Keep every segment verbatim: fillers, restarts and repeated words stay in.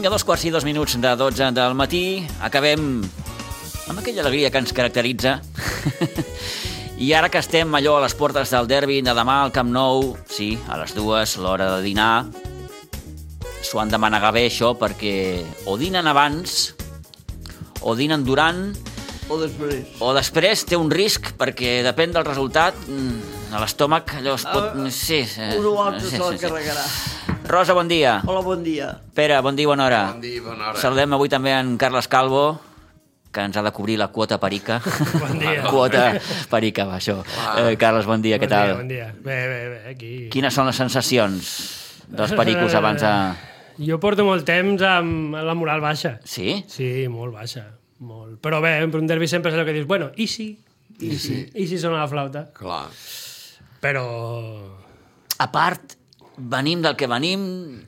Vinga, dos quarts i dos minuts de dotze del matí. Acabem amb aquella alegria que ens caracteritza. I ara que estem allò a les portes del derbi de demà al Camp Nou, sí, a les dues, l'hora de dinar, s'ho han de manegar bé, això, perquè o dinen abans, o dinen durant, o després. O després té un risc, perquè depèn del resultat, a l'estómac allò es pot... Uh, sí, un o altre sí, se la sí, carregarà. Rosa, bon dia. Hola, bon dia. Pere, bon dia, bona hora. Bon dia, bona hora. Saludem avui també en Carles Calvo, que ens ha de cobrir la quota perica. Bon dia. Quota perica, va, això. Eh, Carles, bon dia, Bon què tal? dia, bon dia. Bé, bé, bé, aquí... Quines són les sensacions dels pericos abans de... Jo porto molt temps amb la moral baixa. Sí? Sí, molt baixa. Molt. Però bé, per un derbi sempre és el que dius, bueno, i si? I si? I si sona la flauta? Clar. Però... A part, venim del que venim,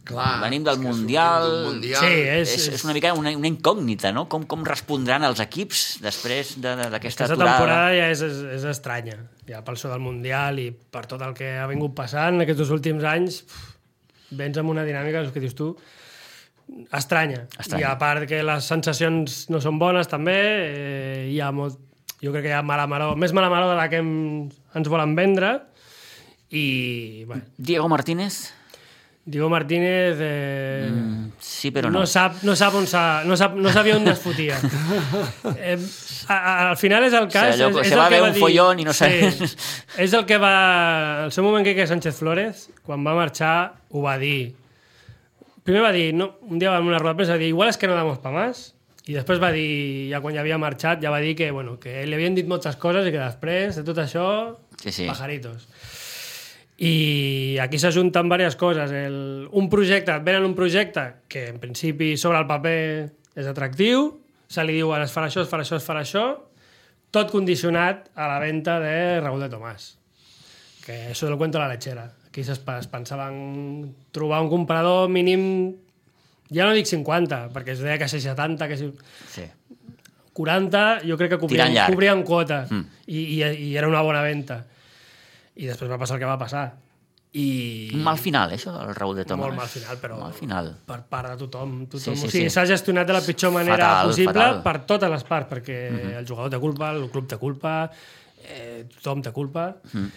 Clar, venim del és que Mundial... sortim d'un Mundial. Sí, és, És, és una mica una, una incògnita, no? Com, com respondran els equips després d'aquesta de, Aquesta aturada? temporada ja és, és, és estranya. Ja pel so del Mundial i per tot el que ha vingut passant aquests dos últims anys, pff, vens amb una dinàmica, el que dius tu, estranya. Estranya. I a part que les sensacions no són bones també, eh, hi ha molt... Jo crec que hi ha mala maror, més mala maror de la que hem, ens volen vendre. I, bueno, Diego Martínez? Diego Martínez eh, Mm, sí, però no. no sap, no sap on s'ha, no, sap, no sabia on es fotia. eh, a, a, al final és el cas... O sigui, allò, és, se és va el que haver va un dir, follón i no sé. Sí, és el que va... El seu moment que Quique Sánchez Flores, quan va marxar, ho va dir. Primer va dir, no, un dia va en una roda de premsa, va dir, igual és que no damos pa más. I després va dir, ja quan ja havia marxat, ja va dir que, bueno, que li havien dit moltes coses i que després de tot això, Sí, sí. pajaritos. I aquí s'ajunten diverses coses. El, un projecte, et venen un projecte que en principi sobre el paper és atractiu, se li diuen es farà això, es farà això, es farà això, tot condicionat a la venda de Raúl de Tomàs. Que això del cuento de la lechera. Aquí es pensaven trobar un comprador mínim, ja no dic cinquanta, perquè es deia que ser setanta, que si... Sí. quaranta, jo crec que cobrien, Tirant llarg. cobrien quota Mm. i, i, i era una bona venda. I després va passar el que va passar. I... Un mal final, eh, això, el Raúl de Tomàs. Molt mal final, però Mal final. per part de tothom. tothom. Sí, sí, o sigui, sí. s'ha gestionat de la pitjor manera Fatal, possible fatal. per totes les parts, perquè Mhm. el jugador té culpa, el club té culpa, eh, tothom té culpa, Mhm.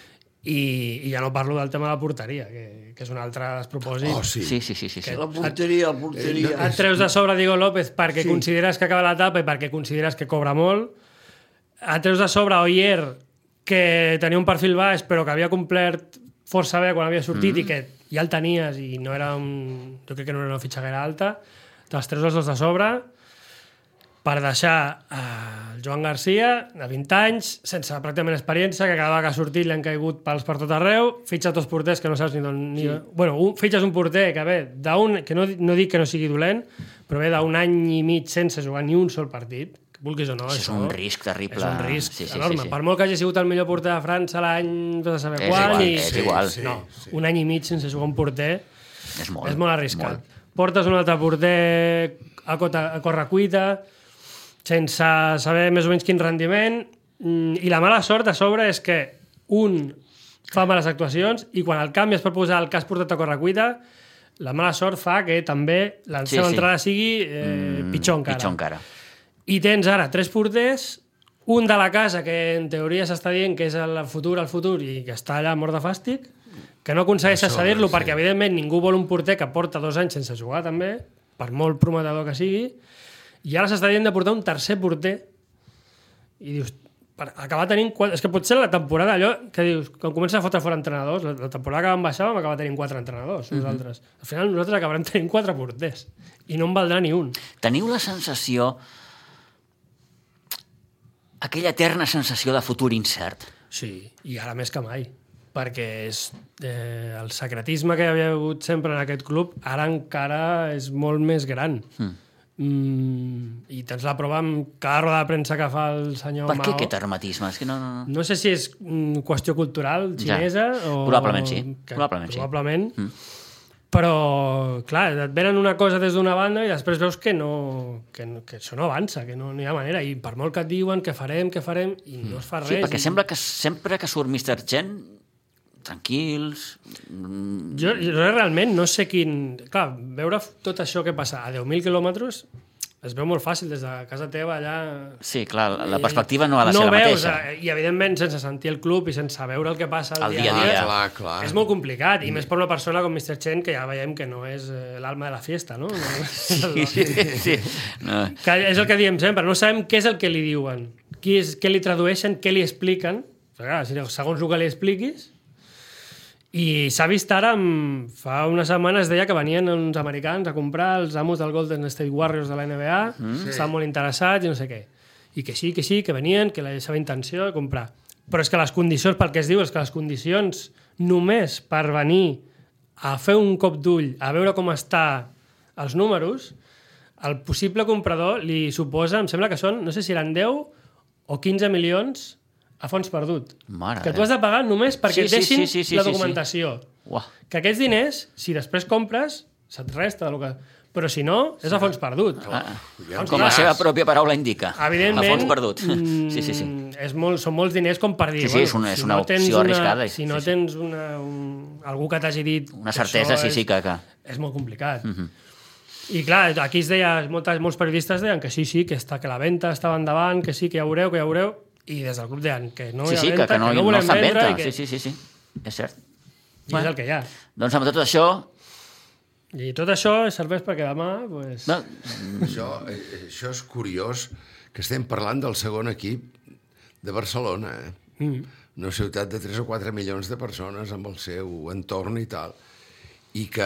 i, i ja no parlo del tema de la porteria, que, que és un altre despropòsit. Oh, sí. Sí, sí, sí, sí, sí. La porteria, la porteria. Et treus de sobre Diego López perquè Sí. consideres que acaba l'etapa i perquè consideres que cobra molt. Et treus de sobre Oyer, que tenia un perfil baix però que havia complert força bé quan havia sortit mm. i que ja el tenies i no era un... jo crec que no era una fitxaguera alta. Te'ls treus els dos de sobre per deixar eh, el Joan Garcia, de vint anys, sense pràcticament experiència, que cada vegada que ha sortit li han caigut pals per tot arreu, fitxa dos porters que no saps ni d'on... Ni... Sí. Bueno, un, fitxes un porter que ve d'un... que no, no dic que no sigui dolent, però ve d'un any i mig sense jugar ni un sol partit, que vulguis o no. Això és un risc terrible. És un risc Sí, sí, enorme. sí, sí. Per molt que hagi sigut el millor porter de França l'any de saber És quan... igual, i... és igual. Sí, no, sí. un any i mig sense jugar un porter És molt. és molt arriscat. Molt. Portes un altre porter a, cota, a correcuita, sense saber més o menys quin rendiment, mm, i la mala sort a sobre és que un fa males actuacions i quan el canvies per posar el que has portat a correcuita, la mala sort fa que també la Sí, seva sí. entrada sigui eh, Mm, pitjor encara. Pitjor encara. I tens ara tres porters, un de la casa que en teoria s'està dient que és el futur, el futur, i que està allà mort de fàstic, que no aconsegueixes Això, cedir-lo sí. perquè evidentment ningú vol un porter que porta dos anys sense jugar també, per molt prometedor que sigui, i ara s'està dient de portar un tercer porter i dius, per acabar tenint quatre... és que potser la temporada allò que dius, quan comença a fotre fora entrenadors, la, la temporada que vam baixar vam acabar tenint quatre entrenadors, nosaltres. Al final nosaltres acabarem tenint quatre porters i no en valdrà ni un. Teniu la sensació, aquella eterna sensació de futur incert. Sí, i ara més que mai, perquè és, eh, el secretisme que hi havia hagut sempre en aquest club ara encara és molt més gran. Mm. Mm, I tens la prova amb cada roda de premsa que fa el senyor Per què Mao. aquest hermetisme? És que no, no, no. No sé si és mm, qüestió cultural xinesa Ja. o... Probablement sí, que, probablement sí. Probablement. Mm. Però, clar, et venen una cosa des d'una banda i després veus que no, que, no, que això no avança, que no, no hi ha manera. I per molt que et diuen que farem, que farem, i no es fa res. Sí, perquè i... sembla que sempre que surt mister Chen tranquils... Jo, jo realment no sé quin... Clar, veure tot això que passa a deu mil quilòmetres es veu molt fàcil des de casa teva allà... Sí, clar, la perspectiva no ha de ser no la veus, mateixa. I evidentment sense sentir el club i sense veure el que passa El al dia a dia a dia. dia, Clar, clar. és molt complicat, i més per una persona com mister Chen, que ja veiem que no és eh, l'alma de la fiesta, no? no Sí, sí, sí. No. Que és el que diem sempre, no sabem què és el que li diuen, qui és, què li tradueixen, què li expliquen, però, clar, segons el que li expliquis. I s'ha vist ara, fa unes setmanes deia que venien uns americans a comprar els amos del Golden State Warriors de la N B A, mm. estaven molt interessats i no sé què. I que sí, que sí, que venien, que la seva intenció de comprar. Però és que les condicions, pel que es diu, és que les condicions només per venir a fer un cop d'ull, a veure com està els números, el possible comprador li suposa, em sembla que són, no sé si eren deu o quinze milions a fons perdut. Mare que tu has de pagar només perquè Sí, sí, sí, deixin sí, sí, sí, la sí, documentació. sí. Uah. Que aquests diners, si després compres, se't resta del que... Però si no, és a fons perdut. Ah, Ja com la diràs. seva pròpia paraula indica. Evidentment, A fons perdut. mm, Sí, sí, sí. És molt, són molts diners com per dir... Sí, sí, és una- és una tens opció arriscada, Si no sí, sí. tens una, un, algú que t'hagi dit... Una que certesa, això sí, és, sí, que... que... És molt complicat. I clar, aquí es deia, moltes, molts periodistes deien que sí, sí, que, està, que la venda estava endavant, que sí, que ja veureu, que ja veureu, i des del club deien que no Sí, hi ha sí, venda, que, que no, que no no volem està en vendre, venda. i que... Sí, sí, sí, sí. És cert. I és el que hi ha. Doncs amb tot això... I tot això serveix perquè demà... Pues... No, Això, eh, això és curiós, que estem parlant del segon equip de Barcelona, eh? Mm. Una ciutat de tres o quatre milions de persones amb el seu entorn i tal, i que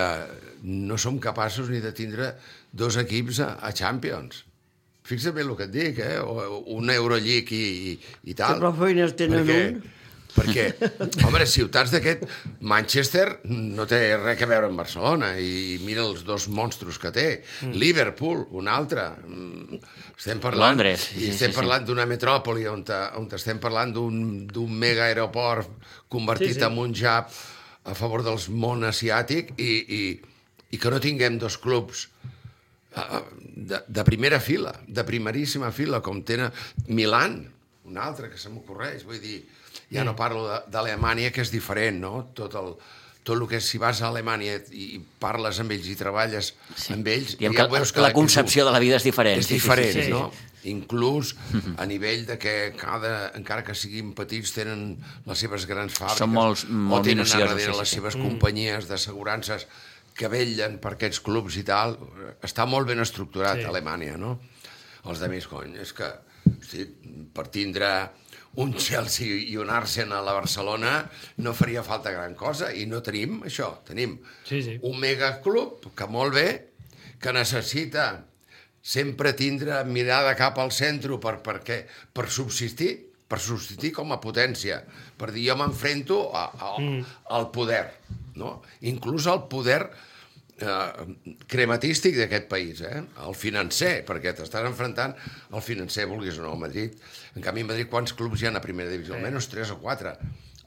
no som capaços ni de tindre dos equips a, a Champions. Fixa't bé el que et dic, eh? O un Euroleague i, i, i tal. Que prou feines tenen perquè, un. Perquè, home, ciutats d'aquest... Manchester no té res a veure amb Barcelona, i mira els dos monstros que té. Mm. Liverpool, un altre. Mm, Estem parlant... Londres, sí, I sí, estem sí, parlant d'una metròpoli on, te, on estem parlant d'un mega aeroport convertit Sí, sí. en un jab a favor del món asiàtic i, i, i que no tinguem dos clubs de, de primera fila, de primeríssima fila, com tenen Milan, un altre que se m'ocorreix, vull dir, ja no parlo de- d'Alemanya, que és diferent, no? Tot el, tot el que si vas a Alemanya i parles amb ells i treballes sí. amb ells... diguem ja que veus la que concepció de la vida és diferent. és Sí, sí, sí, diferent, sí, sí. no? Inclús a nivell de que cada, encara que siguin petits, tenen les seves grans fàbriques. Són molts- molt o tenen a minuciosos, darrere sí, sí, les sí. seves companyies d'assegurances que vetllen per aquests clubs i tal. Està molt ben estructurat Sí. a Alemanya, no? Els de més, cony, és que hosti, per tindre un Chelsea i un Arsenal a Barcelona no faria falta gran cosa, i no tenim això. Tenim Sí, sí. un megaclub que molt bé, que necessita sempre tindre mirada cap al centre per, per, què? per subsistir, per subsistir com a potència, per dir jo m'enfrento a, a, mm. al poder, no? Inclús al poder eh, crematístic d'aquest país, eh? El financer, perquè t'estàs enfrontant al financer, vulguis o no, a Madrid. En canvi, a Madrid, quants clubs hi ha a primera divisió? Almenys tres o quatre.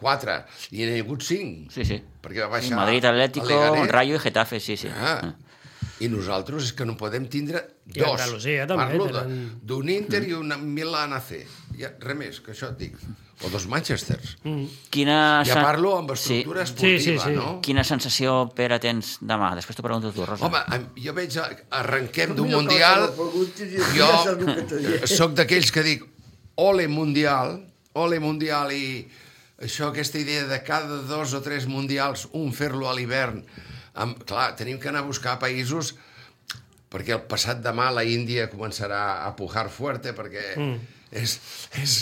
Quatre. I n'hi ha hagut cinc. Sí, sí. Perquè va baixar Madrid, Atlético, el Leganés. Rayo i Getafe, sí, sí. Ah. I nosaltres és que no podem tindre I dos. Andalusia també Parlo tenen- d'un Inter i un Milan A C. Ja, res més, que això et dic. O dos Manchesters. Mm. Quina... Ja sen- parlo amb estructura Sí. esportiva, Sí, sí, sí. no? Quina sensació, Pere, tens demà? Després t'ho pregunto tu, Rosa. Home, em- jo veig, a- arrenquem d'un Mira, Mundial, que la preguntis i jo ja saps el que t'he dit. sóc d'aquells que dic ole Mundial, ole Mundial, i això, aquesta idea de cada dos o tres Mundials, un fer-lo a l'hivern. Amb- Clar, tenim que anar a buscar països, perquè el passat demà la Índia començarà a pujar fuerte, perquè mm. és, és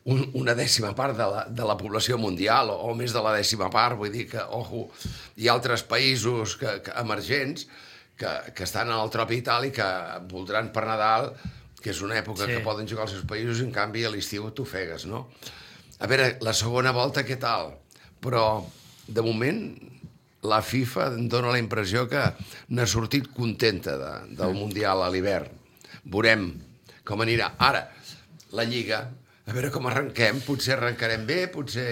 un, una dècima part de la, de la població mundial, o, o més de la dècima part, vull dir que, ojo, hi ha altres països que, que, emergents que, que estan en el tropi i tal, i que voldran per Nadal, que és una època Sí. que poden jugar als seus països, i en canvi a l'estiu t'ofegues, no? A veure, la segona volta què tal? Però, de moment, la FIFA em dóna la impressió que n'ha sortit contenta de, del Mundial a l'hivern. Veurem com anirà. Ara, la Lliga, a veure com arrenquem, potser arrencarem bé, potser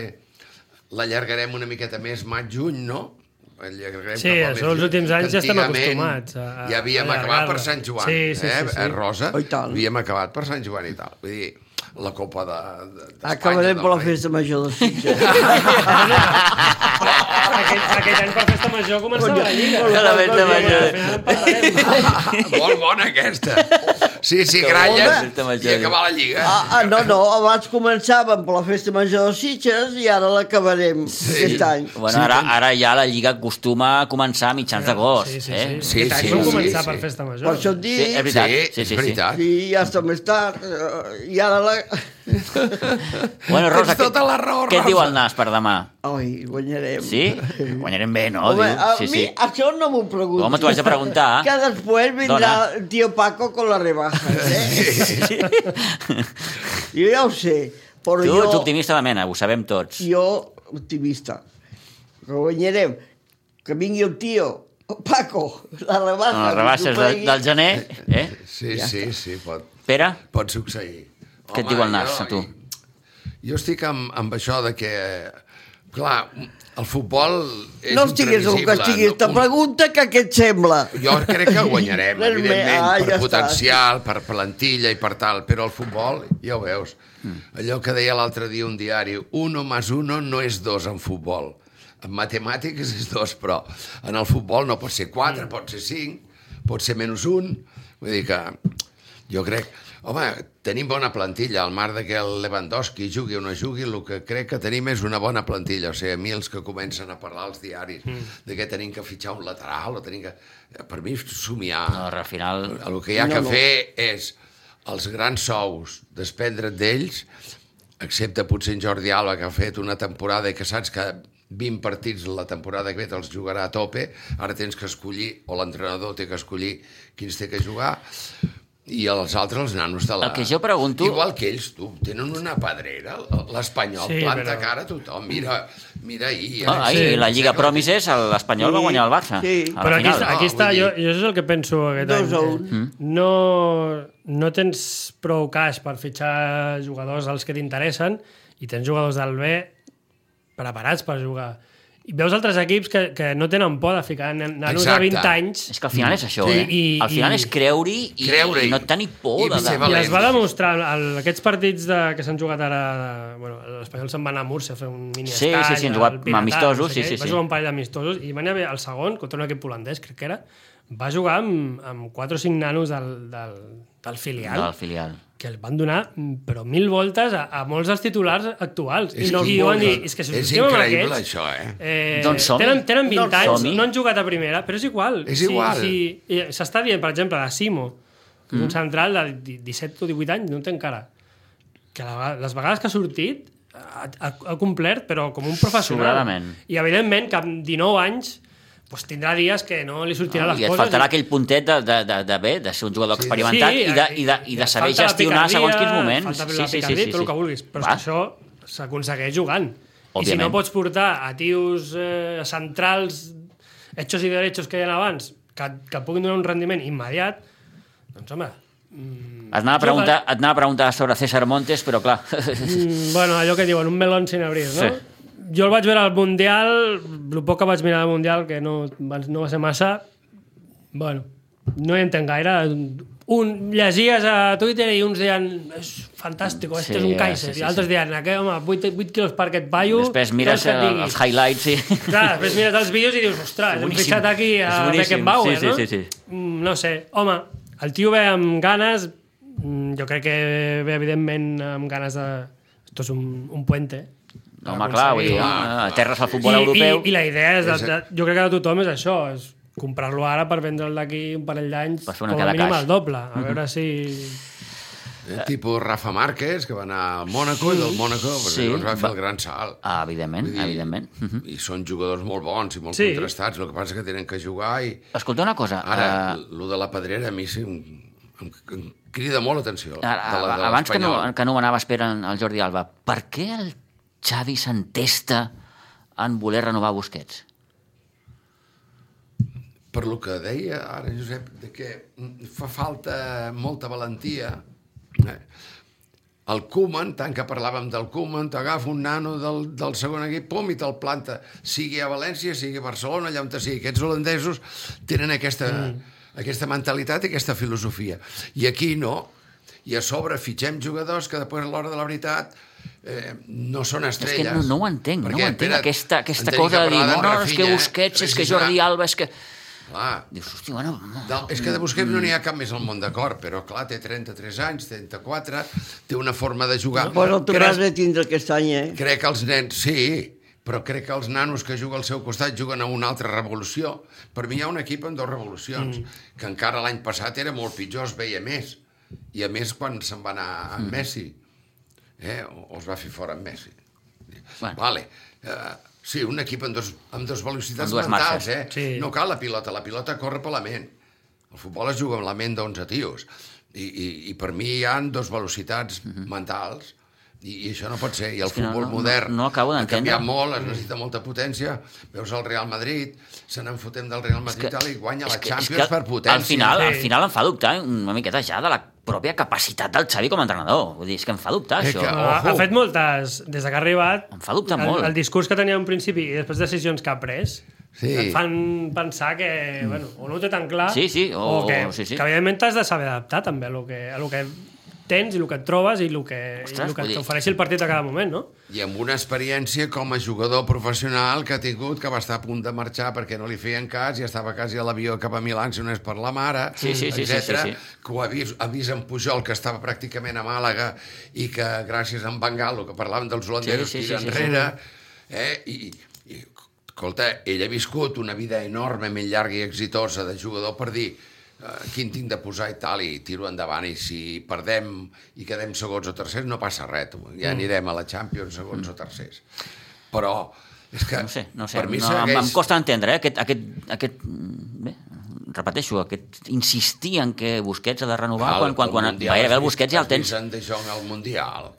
l'allargarem una miqueta més maig-juny, no? Allargarem Sí, cap al això mes els juny, últims anys que ja estem antigament acostumats a- a Ja havíem allargar-la. acabat per Sant Joan, Sí, sí, eh, sí, sí. eh, Rosa? Oh, i tant. Havíem acabat per Sant Joan i tal. Vull dir, la Copa de, de, d'Espanya... Acabarem del per la Rei. festa major de Sitges. Aquest, aquest any per festa major començava la Lliga. La festa major. Al final en parlarem. Molt bona aquesta. Sí, sí, Que gralles bona festa major. i acabar la Lliga. Ah, ah, no, no, abans començàvem per la festa major de Sitges i ara l'acabarem aquest any. Bueno, ara, ara ja la Lliga acostuma a començar a mitjans d'agost. Sí, sí, eh? sí. Sí, Aquest any sí, vam sí, començar sí. per festa major. Per això et Sí, dic, és veritat. Sí, Sí, sí, és sí. veritat. i ja està més tard, eh, i ara la... Bueno, Rosa, Tens tota la raó, què et diu Rosa. el nas per demà? Ai, guanyarem. Sí? Guanyarem bé, no? Home, Diu. a Sí, mi sí. això no m'ho pregunto. Home, t'ho haig de preguntar. Que després vindrà Dona. el tio Paco con la rebaja, eh? Jo ja ho sé, però Tu jo... ets optimista de mena, ho sabem tots. Jo, optimista. Que guanyarem. Que vingui el tio, el Paco, la rebaja. Amb les rebaixes de, del gener, eh? Sí, Ja sí, sí, pot, Pere, pot succeir. què et diu el nas, jo- a tu? Jo estic amb, amb això de que, clar, el futbol és No estiguis el que imprevisible. estiguis. Te Un- pregunta que què et sembla. Jo crec que guanyarem, Res més. evidentment, Ah, per ja està. potencial, per plantilla i per tal, però el futbol, ja ho veus, allò que deia l'altre dia un diari, uno más uno no és dos en futbol. En matemàtiques és dos, però en el futbol no pot ser quatre, pot ser cinc, pot ser menys un. Vull dir que jo crec... Home, tenim bona plantilla, al mar de que el Lewandowski jugui o no jugui, el que crec que tenim és una bona plantilla. O sigui, a mi els que comencen a parlar als diaris mm. de que tenim que fitxar un lateral, o tenim que... Per mi, somiar... No, al final... El que hi ha No, que no. fer és els grans sous, desprendre't d'ells, excepte potser en Jordi Alba, que ha fet una temporada i que saps que vint partits la temporada que ve te'ls jugarà a tope, ara tens que escollir, o l'entrenador té que escollir quins té que jugar, i els altres, els nanos de la... El que jo pregunto- Igual que ells, tu, tenen una pedrera, l'Espanyol Sí, planta però- cara a tothom, mira, mira ahir... Ah, ahir, Sí, la Lliga sí, Promises, l'Espanyol Sí, va guanyar el Barça. sí. A Però la aquí, final. està, aquí No, està, vull jo, dir- jo és el que penso aquest Dos any. a que un. No, no tens prou caix per fitxar jugadors als que t'interessen i tens jugadors del B preparats per jugar. I veus altres equips que, que no tenen por de ficar nanos de Exacte. vint anys És que al final és això, Sí, eh? i- al final i- és creure-hi i, Creure-hi. i no tenir por I de... ser de... valent. i es va demostrar el, aquests partits de, que s'han jugat ara de, bueno, l'Espanyol se'n va anar a Múrcia a fer un mini Sí, estall, sí, sí, han al jugat Piratat, amistosos, no sé sí, què, sí, va sí. jugar un parell d'amistosos i van haver el segon contra un equip holandès, crec que era, va jugar amb, amb quatre o cinc nanos del, del, del filial del filial. que el van donar mm, però mil voltes a, a molts dels titulars actuals. És I, no, que i van dir, molt- és que si és us estimem amb increïble, aquests, això, eh? eh, Doncs som-hi. tenen, tenen vint Doncs anys, som-hi. no han jugat a primera, però és igual. És Si- igual. Si, i s'està dient, per exemple, de Simo, que és un central de di- disset o divuit anys, no en té encara. Que la, les vegades que ha sortit ha, ha, ha complert, però com un professional. Sobradament. I evidentment que amb dinou anys pues, tindrà dies que no li sortiran No, les I et coses. faltarà aquell puntet de, de, de, de, bé, de ser un jugador Sí. experimentat Sí, i, de, i, de, i de et saber falta la gestionar picardia, segons quins moments. Falta Sí, la sí, sí, picardia, sí, tot el sí. que vulguis. Però és Va. que això s'aconsegueix jugant. I si Òbviament. no pots portar a tios eh, centrals hechos i derechos que hi ha abans que, que puguin donar un rendiment immediat, doncs home... Mm, Et anava, a preguntar, et anava a preguntar sobre César Montes, però clar... mm, bueno, allò que diuen, un melón sin abrir, no? Sí. Jo el vaig veure al Mundial, el poc que vaig mirar al Mundial, que no, no va ser massa, bueno, no hi entenc gaire. Un, llegies a Twitter i uns deien és fantàstic, este Sí, és un Kaiser, sí, sí, i altres sí. deien aquest, home, vuit, vuit quilos per aquest paio, Després mires tot el que et el, digui. els highlights i... Clar, després mires els vídeos i dius, ostres, hem boníssim. fixat aquí a És boníssim. Beckenbauer, Sí, sí, no? sí, sí. Mm, no sé, home, el tio ve amb ganes, mm, jo crec que ve evidentment amb ganes de... Esto és un, un puente. No, home, clar, vull dir, Clar. aterres al futbol I, europeu... I, I la idea és, de, És- de, jo crec que de tothom és això, és comprar-lo ara per vendre'l d'aquí un parell d'anys, Per fer una com a cada mínim caix. al doble, a veure si... Eh, tipus Rafa Márquez, que va anar al Mónaco, i del Mónaco Sí, sí, va fer va- el gran salt. Ah, evidentment, Vull dir, evidentment. Mhm. I són jugadors molt bons i molt Sí. contrastats, el que passa és que tenen que jugar i... Escolta una cosa... Ara, eh, lo de la pedrera a mi sí, em, em, em crida molt l'atenció. Ara, de la- de abans que no, l'Espanyol. que no m'anava esperant el Jordi Alba, per què el Xavi s'entesta en voler renovar Busquets? Per lo que deia ara, Josep, de que fa falta molta valentia. Eh? El Koeman, tant que parlàvem del Koeman, t'agafa un nano del, del segon equip, pum, i te'l planta. Sigui a València, sigui a Barcelona, allà on sigui. Aquests holandesos tenen aquesta, mm. aquesta mentalitat i aquesta filosofia. I aquí no. I a sobre fitxem jugadors que després a l'hora de la veritat eh, no són És estrelles. que no, no ho entenc, no ho entenc, espera, aquesta, aquesta en tenim cosa de dir, parlar no, d'en no, és que Rafinha, Busquets, és que precisament. Jordi Alba, és que... Clar, Dius, hosti, bueno... No. del, és que de Busquets no n'hi ha cap més al món d'acord, però clar, té trenta-tres anys, trenta-quatre, té una forma de jugar. Bueno, el tornàs crec, de tindre aquest any, eh? crec que els nens, sí, però crec que els nanos que juguen al seu costat juguen a una altra revolució. Per mi hi ha un equip amb dues revolucions, mm. que encara l'any passat era molt pitjor, es veia més. I a més quan se'n va anar amb mm. Messi, eh, o, o es va fer fora amb Messi. Bueno. Vale. Uh, sí, un equip amb dos, amb dos velocitats Amb dues mentals, marxes. eh? Sí. No cal la pilota, la pilota corre per la ment. El futbol es juga amb la ment d'onze tios. I, i, I per mi hi ha dos velocitats mm-hmm. mentals, i, i això no pot ser. I el És que no- futbol no- modern no- no acabo ha d'entendre. canviat molt, es necessita molta potència. Veus el Real Madrid, se n'enfotem del Real Madrid que- i guanya la és que- és Champions que per potència. Al final, Sí. al final em fa dubtar una miqueta ja de la pròpia capacitat del Xavi com a entrenador. Vull dir, és que em fa dubtar, És això. que- Ha, Ojo. ha fet moltes... Des que ha arribat... Em fa dubtar el, molt. El discurs que tenia en principi i després decisions que ha pres Sí. et fan pensar que, mm. bueno, o no ho té tan clar, Sí, sí, o- o que, o- sí, sí. que evidentment t'has de saber adaptar també a lo que, a lo que tens i el que et trobes i el que, Ostres, i el que vull dir- t'ofereixi el partit a cada moment, no? I amb una experiència com a jugador professional que ha tingut, que va estar a punt de marxar perquè no li feien cas i estava quasi a l'avió cap a Milà, si no és per la mare, Sí, sí, sí, sí, etcètera, sí, sí. que ho ha vist, ha vist en Pujol, que estava pràcticament a Màlaga i que gràcies a en Bangalo, que parlàvem dels holandesos, Sí, sí, tira sí, sí, sí. enrere, eh? I, i, escolta, ell ha viscut una vida enormement llarga i exitosa de jugador per dir Uh, quin tinc de posar i tal, i tiro endavant, i si perdem i quedem segons o tercers no passa res, tu. Ja anirem a la Champions segons mm. o tercers. Però és que No sé, no sé. per mi no, segueix... Em costa entendre, eh? Aquest, aquest, aquest, bé, repeteixo, aquest insistir en que Busquets ha de renovar Val, quan, quan, quan Mundial, gairebé has el Busquets ja el vist- tens... has vist en De Jong al Mundial.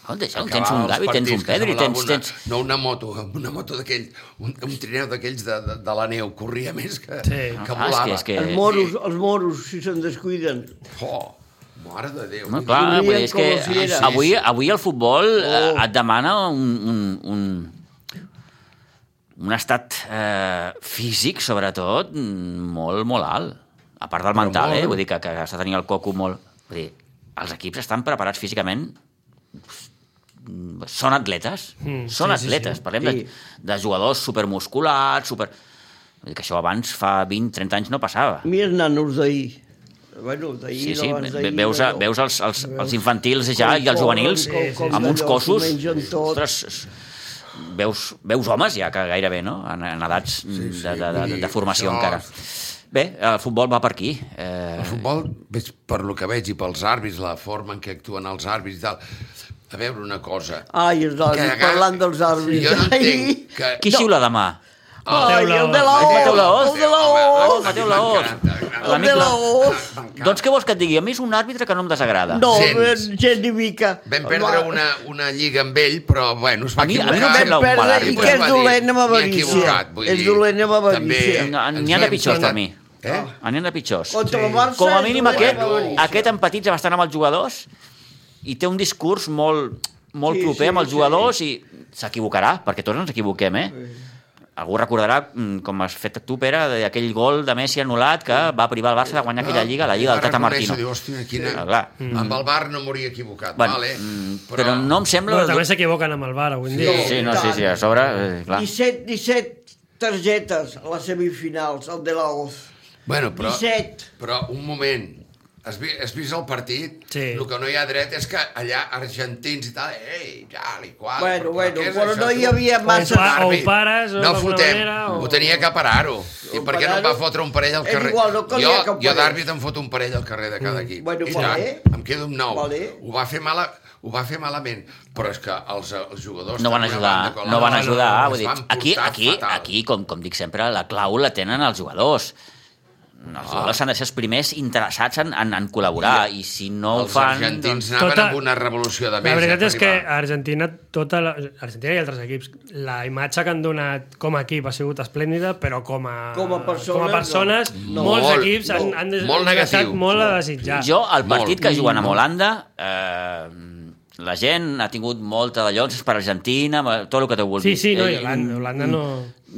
Escolta, ja, Acabar tens un els Gavi, tens partits un que Pedri, semblava tens... Una, tens... no una moto, una moto d'aquell, un, un trineu d'aquells de, de, de la neu, corria més que, Sí. que Ah, és volava. que- és que- Els moros, els moros, si se'n descuiden. Oh, mare de Déu. No, vull clar, Corrien vull dir, és que com si era. avui, avui el futbol eh, Oh. et demana un, un, un, un estat eh, físic, sobretot, molt, molt alt. A part del Però mental, molt. eh? Vull dir que, que has de tenir el coco molt... Vull dir, els equips estan preparats físicament, són atletes, Mm, són sí, sí, atletes. sí. Parlem Sí. de, de jugadors supermusculats, super... Vull dir que això abans, fa vint trenta anys, no passava. Mira els nanos d'ahir. Bueno, d'ahir, Sí, sí, d'abans ve- d'ahir, veus, a, allò. veus els, els, els Veus infantils ja com i els corren, juvenils com- com amb uns d'allò, cossos... s'ho mengen tot. Ostres, veus, veus homes ja que gairebé, no? En, en edats sí, sí, de, de, de, vull de, dir, de formació això- encara. Bé, el futbol va per aquí. Eh, El futbol, veig, per lo que veig, i pels àrbits, la forma en què actuen els àrbits i tal, a veure una cosa... Ai, els àrbits, Que- parlant dels àrbits. Jo no Ai. entenc que... qui xiula demà? Ai, Mateu el de la Mateu O, Laoz. el de la Home, O. home, Mateu a mi Laoz. m'encanta, m'encanta. El L'amic de la la- O. M'encanta. Doncs què vols que et digui? A mi és un àrbitre que no em desagrada. No, Gens. gens ni mica. Vam perdre una, una lliga amb ell, però, bueno, es va A mi- a mi equivocar. no em sembla Vam un mal perdre àrbitre. i que és Va dir, dolent amb "M'he avarícia. equivocat", vull És dir, dolent amb avarícia. també- No, ens N'hi ha de hem pitjors per saltat. mi. Eh? N'hi ha de pitjors. Contra el Barça Com a és mínim dolent aquest, amb avarícia. aquest empatitza bastant amb els jugadors i té un discurs molt, molt Sí, proper sí, amb els sí. jugadors i s'equivocarà, perquè tots ens equivoquem, eh? Algú recordarà, mm, com has fet tu, Pere, d'aquell gol de Messi anul·lat que va privar el Barça de guanyar aquella lliga, la lliga del Va Tata reconèixer, Martino. Diu, hòstia, quina... Ah, clar. Amb el Bar no m'hauria equivocat, Bueno, vale? mm, però no em sembla... Bueno, també s'equivoquen amb el bar avui en dia. Sí, no, sí, sí, a sobre, eh, clar. disset, disset targetes a les semifinals, el de la O. Bueno, però... disset. Però, un moment, has, vi, has vist el partit? Sí. El que no hi ha dret és que allà argentins i tal, ei, ja, li qual... Bueno, però bueno, què és però això, no hi tu? havia massa... O pa- o Àrbit. pares, o no d'alguna fotem, manera, o- ho tenia que parar-ho. I O per què no em va parar-ho? fotre un parell al És carrer? igual, no calia jo, que ho jo parés. d'àrbit em foto un parell al carrer de cada equip. Bueno, I vale. tant, em quedo amb nou. Vale. Ho va fer mala... Ho va fer malament, però és que els, els jugadors... No van tant d'una ajudar, banda com no van l'altra, ajudar. es Vull dir, van aquí, portar aquí, fatal. aquí com, com dic sempre, la clau la tenen els jugadors. Els jugadors han de ser els primers interessats en, en, en col·laborar, i si no ho Els fan... argentins Doncs... anaven Tota- amb una revolució de La més. veritat eh, és per que arribar. a Argentina, tota la, Argentina i altres equips, la imatge que han donat com a equip ha sigut esplèndida, però com a, Com a persones, com a persones no. molts Molt, equips han, molt, han des- molt negatiu. deixat molt a desitjar. Jo, el partit Molt. que juguen amb Holanda, eh, la gent ha tingut molta de llocs per Argentina, tot el que t'ho vulguis. Sí, sí, no, i Eh, Holanda, Holanda no...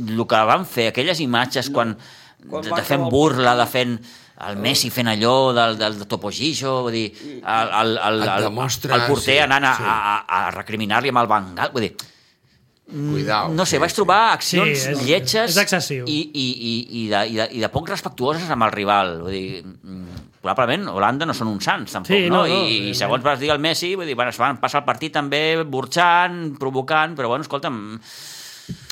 El que van fer, aquelles imatges quan, Quan de, va de fent acabar el burla, de fent el Messi fent allò del, del Topo Gigio, vull dir, el, el, el, el, demostra, el porter sí, anant a, sí. a, a recriminar-li amb el bengal, vull dir, Cuidao. no sé, sí, vaig trobar accions Sí, és- lletges és excessiu. i, i, i, i, de, i, de, i de poc respectuoses amb el rival. Vull dir, mm, probablement Holanda no són uns sants, tampoc, Sí, no? no, no, I, I evidentment. segons vas dir el Messi, vull dir, bueno, es van passar el partit també burxant, provocant, però bueno, escolta'm,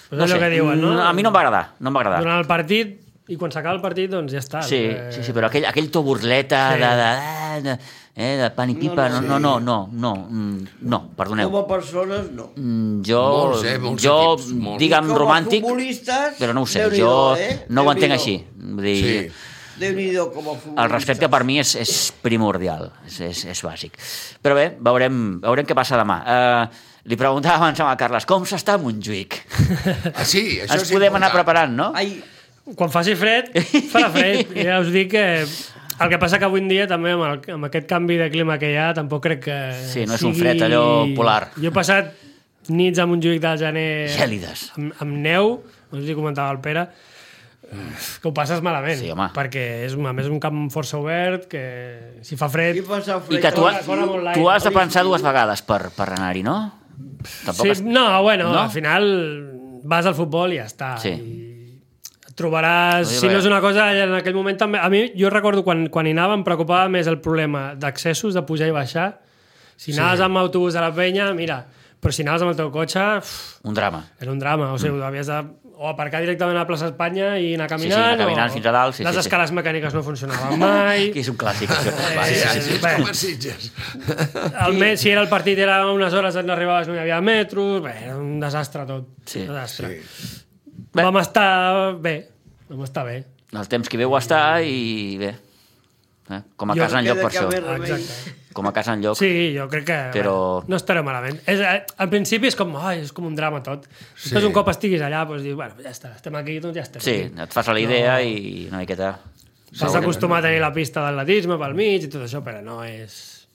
Pues no és el sé, que diuen, no? mm, a mi no em va agradar, no em va agradar. Durant el partit, i quan s'acaba el partit, doncs ja està. Sí, Eh, sí, sí, però aquell, aquell to burleta Sí. de, de, de, eh, de pan i pipa, no, no, no, no, no, mm, no, perdoneu. Com a persones, no. Mm, Jo, Molts, eh, molts jo equips, molts. digue'm Com a romàntic, futbolistes, però no ho sé, Déu-n'hi-do, jo eh? no ho entenc Déu-n'hi-do. així. Vull dir, Sí. Déu-n'hi-do com a futbolista. el respecte per mi és, és primordial, és, és, és bàsic. Però bé, veurem, veurem què passa demà. Uh, li preguntava abans al Carles, com s'està a Montjuïc? Ah, sí, això Ens és podem anar important. preparant, no? Ai, Quan faci fred, farà fred. I ja us dic que el que passa que avui en dia també amb, el, amb aquest canvi de clima que hi ha tampoc crec que Sí, no és un sigui- fred allò polar. Jo he passat nits a Montjuïc del gener Gèlides. amb, amb neu, no sé si comentava el Pere, que ho passes malament, Sí, home. perquè és, a més, un camp força obert, que si fa fred... i passa fred. I que tu, Fora- has, fora molt l'aire. tu has de pensar dues vegades per, per anar-hi, no? Tampoc Sí, has- no, bueno, No? al final vas al futbol i ja està. Sí. I et trobaràs... Oye, Si no vaya. és una cosa, en aquell moment també... A mi, jo recordo quan, quan hi anava em preocupava més el problema d'accessos, de pujar i baixar. Si anaves amb autobús a la penya, mira, però si anaves amb el teu cotxe, uf, Un drama. era un drama. O sigui, mm. havies de o aparcar directament a la plaça Espanya i anar sí, caminant, anar caminant o fins a dalt, sí, les sí, sí. escales mecàniques no funcionaven mai. Que és un clàssic, això. Eh, Sí, sí, sí, sí, és bé. com a Sitges. El me si era el partit, era unes hores on arribaves, no hi havia metros, bé, era un desastre tot. Sí. Un desastre. Sí. Bé. Vam estar bé, vam estar bé. El temps que hi veu estar i bé. Eh? Com a Jo casa enlloc per Queda això. que més remei. Exacte. Com a casa enlloc. Sí, jo crec que Però- bé, no estaré malament. És, eh, al principi és com, ai, és com un drama tot. Sí. Després un cop estiguis allà, doncs dius, bueno, ja està, estem aquí, doncs ja estem Sí, aquí. et fas a la idea i una miqueta... S'has d'acostumar a tenir la pista d'atletisme pel mig i tot això, però no és...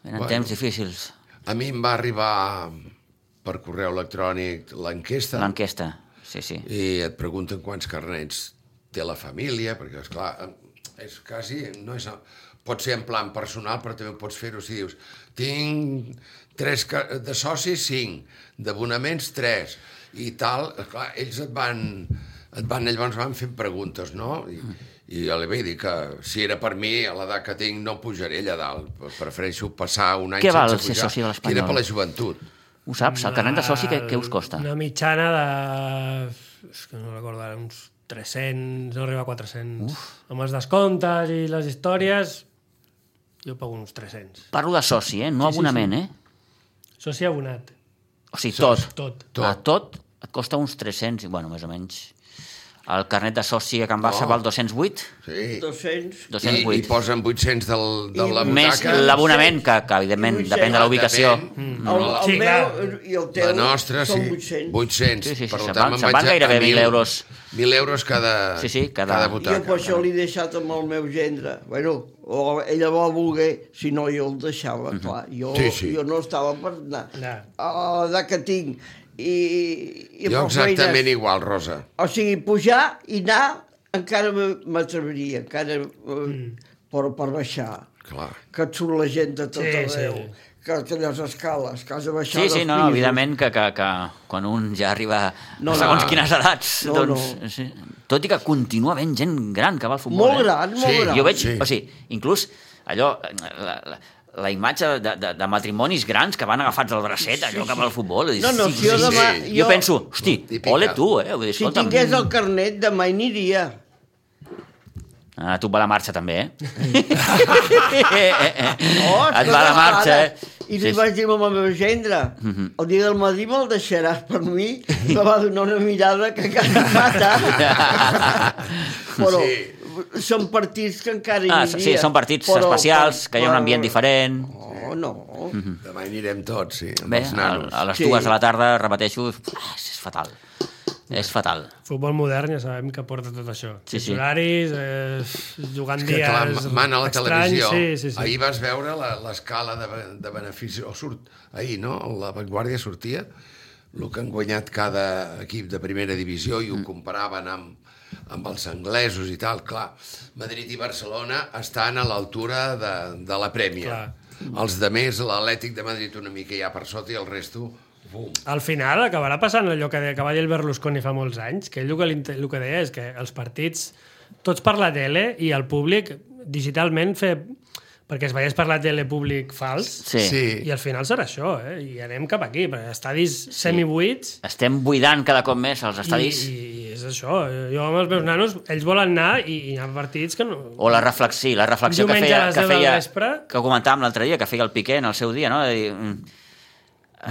Venen Bueno. temps difícils. A mi em va arribar per correu electrònic l'enquesta L'enquesta, sí, sí. i et pregunten quants carnets té la família, perquè, esclar, és quasi... No és, pot ser en plan personal, però també pots fer-ho si dius tinc tres ca- de socis, cinc, d'abonaments, tres, i tal. Esclar, ells et van, et van, llavors van fent preguntes, no? I, i jo li vaig dir que si era per mi, a l'edat que tinc, no pujaré allà dalt. Prefereixo passar un any Què val sense ser pujar. soci de l'Espanyol? Que era per la joventut. Ho saps? El carnet de soci què, què us costa? Una mitjana de... És que no recordo ara, uns tres-cents, no arriba a quatre-cents. Uf. Amb els descomptes i les històries, jo pago uns tres-cents. Parlo de soci, eh? No Sí, sí, abonament, sí. eh? Soci abonat, O sigui, tot. tot. Tot. A tot et costa uns tres-cents, i bueno, més o menys. El carnet de soci a Can Barça No. val dos-cents vuit? Sí. dos-cents. I, dos-cents I vuit. posen vuit-cents del, de I la Més butaca. l'abonament, que, que evidentment I depèn de la ubicació. Depèn. El, el Sí, meu clar. i el teu La nostra, són sí. vuit-cents. vuit-cents. Sí, sí, sí, Per se'n tant, van- me'n se'n vaig van a- gairebé a mil euros. mil euros cada, Sí, sí, cada- cada Jo butaca. per això l'he deixat amb el meu gendre. Bueno, o ella va voler, si no jo el deixava, clar. Jo, Sí, sí. jo no estava per anar. Ja. A l'edat que tinc. I, i Jo per exactament feines. igual, Rosa. O sigui, pujar i anar encara m'atreviria, encara mm. per, per baixar. Clar. Que et surt la gent de tot Sí, arreu. sí. Que aquelles escales, que has de baixar Sí, dels sí, no, no, pisos. evidentment que, que, que quan un ja arriba No, a segons no. quines edats, No, doncs... no. Sí. Tot i que continua havent gent gran que va al futbol. Molt eh? gran, molt Sí, gran. Jo veig, Sí. o sigui, inclús allò, la, la, la imatge de, de, de matrimonis grans que van agafats al bracet, allò cap al futbol. i dius, No, no, sí, si jo sí, demà... sí. Jo penso, hosti, Típica. ole tu, eh? Vull dir, Si escolta'm, tingués el carnet, demà hi aniria. Ah, tu et va la marxa, també, eh? Oh, Et va la marxa, eh? I li Sí, sí. vaig dir al meu gendre, el dia del matí me'l deixaràs per mi, me va donar una mirada que quasi mata. Però Sí. són partits que encara hi Ah, aniria. sí, són partits però- especials, que hi ha un però- ambient diferent. Oh, no. Demà hi anirem tots, sí, amb Bé, els a, nanos. a les Sí. dues de la tarda, repeteixo, ah, és fatal. És fatal. Futbol modern ja sabem que porta tot això. Sí, sí. Els horaris, eh, jugant És que, dies clar, mana la estranys, televisió. Sí, sí, sí. Ahir vas veure la- l'escala de, be- de benefici, o surt, ahir, no? La Vanguardia sortia, el que han guanyat cada equip de primera divisió i ho comparaven amb, amb els anglesos i tal. Clar, Madrid i Barcelona estan a l'altura de, de la Prèmia. Clar. Els de més, l'Atlètic de Madrid una mica ja per sota i el resto... Bum. Al final acabarà passant allò que, que va dir el Berlusconi fa molts anys, que ell el que, el que deia és que els partits, tots per la tele i el públic digitalment fer... perquè es veiés per la tele públic fals, Sí. Sí. i al final serà això, eh? I anem cap aquí, perquè estadis semibuits, Estem buidant cada cop més els estadis. i, i és això. Jo amb els meus nanos, ells volen anar i, i hi ha partits que no... O la reflexió, la reflexió que Diumenge feia, a les que deu del feia, vespre. que comentàvem l'altre dia, que feia el Piqué en el seu dia, no? De dir, mm,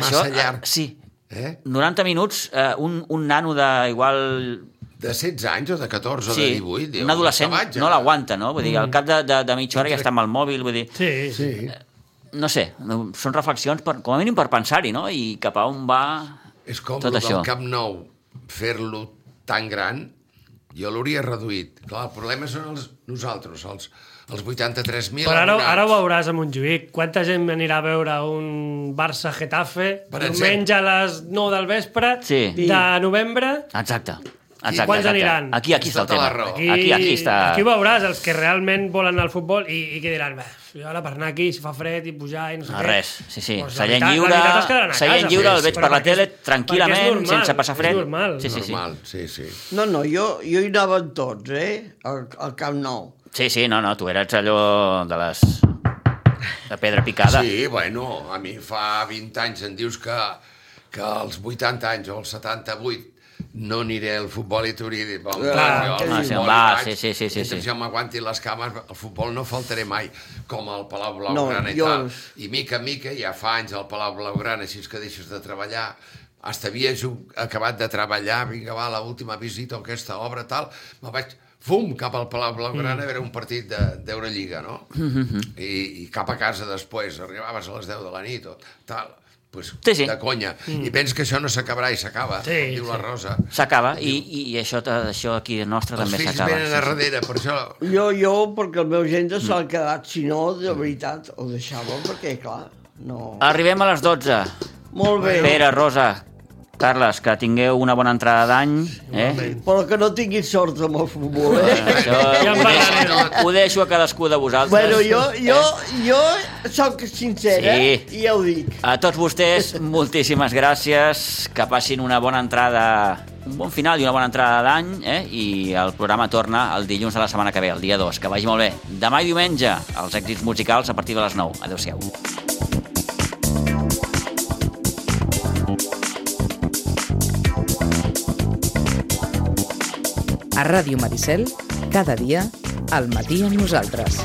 Massa llarg. Sí. Eh? noranta minuts, eh, un, un nano de igual... De setze anys o de catorze o Sí, de divuit. Diu, un adolescent sabatge. no l'aguanta, no? Vull dir, al cap de, de, de mitja hora ja està amb el mòbil, vull dir... Sí, sí. Sí. No sé, no, són reflexions, per, com a mínim per pensar-hi, no? I cap a on va... És com Tot el això. del Camp Nou, fer-lo tan gran, jo l'hauria reduït. Clar, el problema són els, nosaltres, els, els vuitanta-tres mil Però ara, abonats. ara ho veuràs a Montjuïc. Quanta gent anirà a veure un Barça-Getafe Per diumenge a les nou del vespre Sí. de novembre? Exacte. Exacte, Quants exacte. aniran? Aquí, aquí està el Tota la tema. raó. Aquí, aquí, aquí està... Aquí ho veuràs, els que realment volen anar al futbol i, i que diran, jo ara per anar aquí, si fa fred i pujar i no sé No, què... res, sí, sí. Doncs la Seient veritat- lliure, la veritat es quedaran a seient casa. lliure, el Sí, veig sí. per la Perquè tele és- tranquil·lament, perquè és normal, sense passar fred. és normal. Sí, sí, sí. Normal, sí, sí. No, no, jo, jo hi anava amb tots, eh? Al, al Camp Nou. Sí, sí, no, no, tu eres allò de les... de pedra picada. Sí, bueno, a mi fa vint anys em dius que, que als vuitanta anys o als setanta-vuit no aniré al futbol i t'hauria dit, bon, Clar, jo que al sí, futbol va, hi vaig, sí, sí, sí, sí, mentre sí. jo m'aguanti les cames, al futbol no faltaré mai, com al Palau No, Blaugrana i jo- tal. I mica en mica, ja fa anys al Palau Blaugrana, així que deixes de treballar, hasta havia jug- acabat de treballar, vinga, va, l'última visita a aquesta obra, tal, me'n vaig, fum, cap al Palau Blaugrana, a veure un partit de- d'Eurolliga, no? I, I cap a casa després, arribaves a les deu de la nit, o tal, pues, Sí, sí. de conya. I pens que això no s'acabarà i s'acaba, Sí, com diu la sí. Rosa. S'acaba, i, i, i això, això aquí nostre Els també fills s'acaba. venen a darrere, per això... Jo, jo, perquè el meu gent se l'ha quedat, si no, de veritat, ho deixava, perquè, clar, no... Arribem a les dotze. Molt bé, Pere, Rosa, Carles, que tingueu una bona entrada d'any. Eh? però que no tinguis sort amb el futbol, eh? Això Ja en ho, deixo, parlarem. ho deixo a cadascú de vosaltres. Bueno, jo, jo, jo sóc sincera Sí. i ja ho dic. A tots vostès, moltíssimes gràcies. Que passin una bona entrada, un bon final i una bona entrada d'any, eh? I el programa torna el dilluns de la setmana que ve, el dia dos. Que vagi molt bé. Demà i diumenge, els èxits musicals a partir de les nou. Adéu-siau. A Ràdio Maricel, cada dia, al matí amb nosaltres.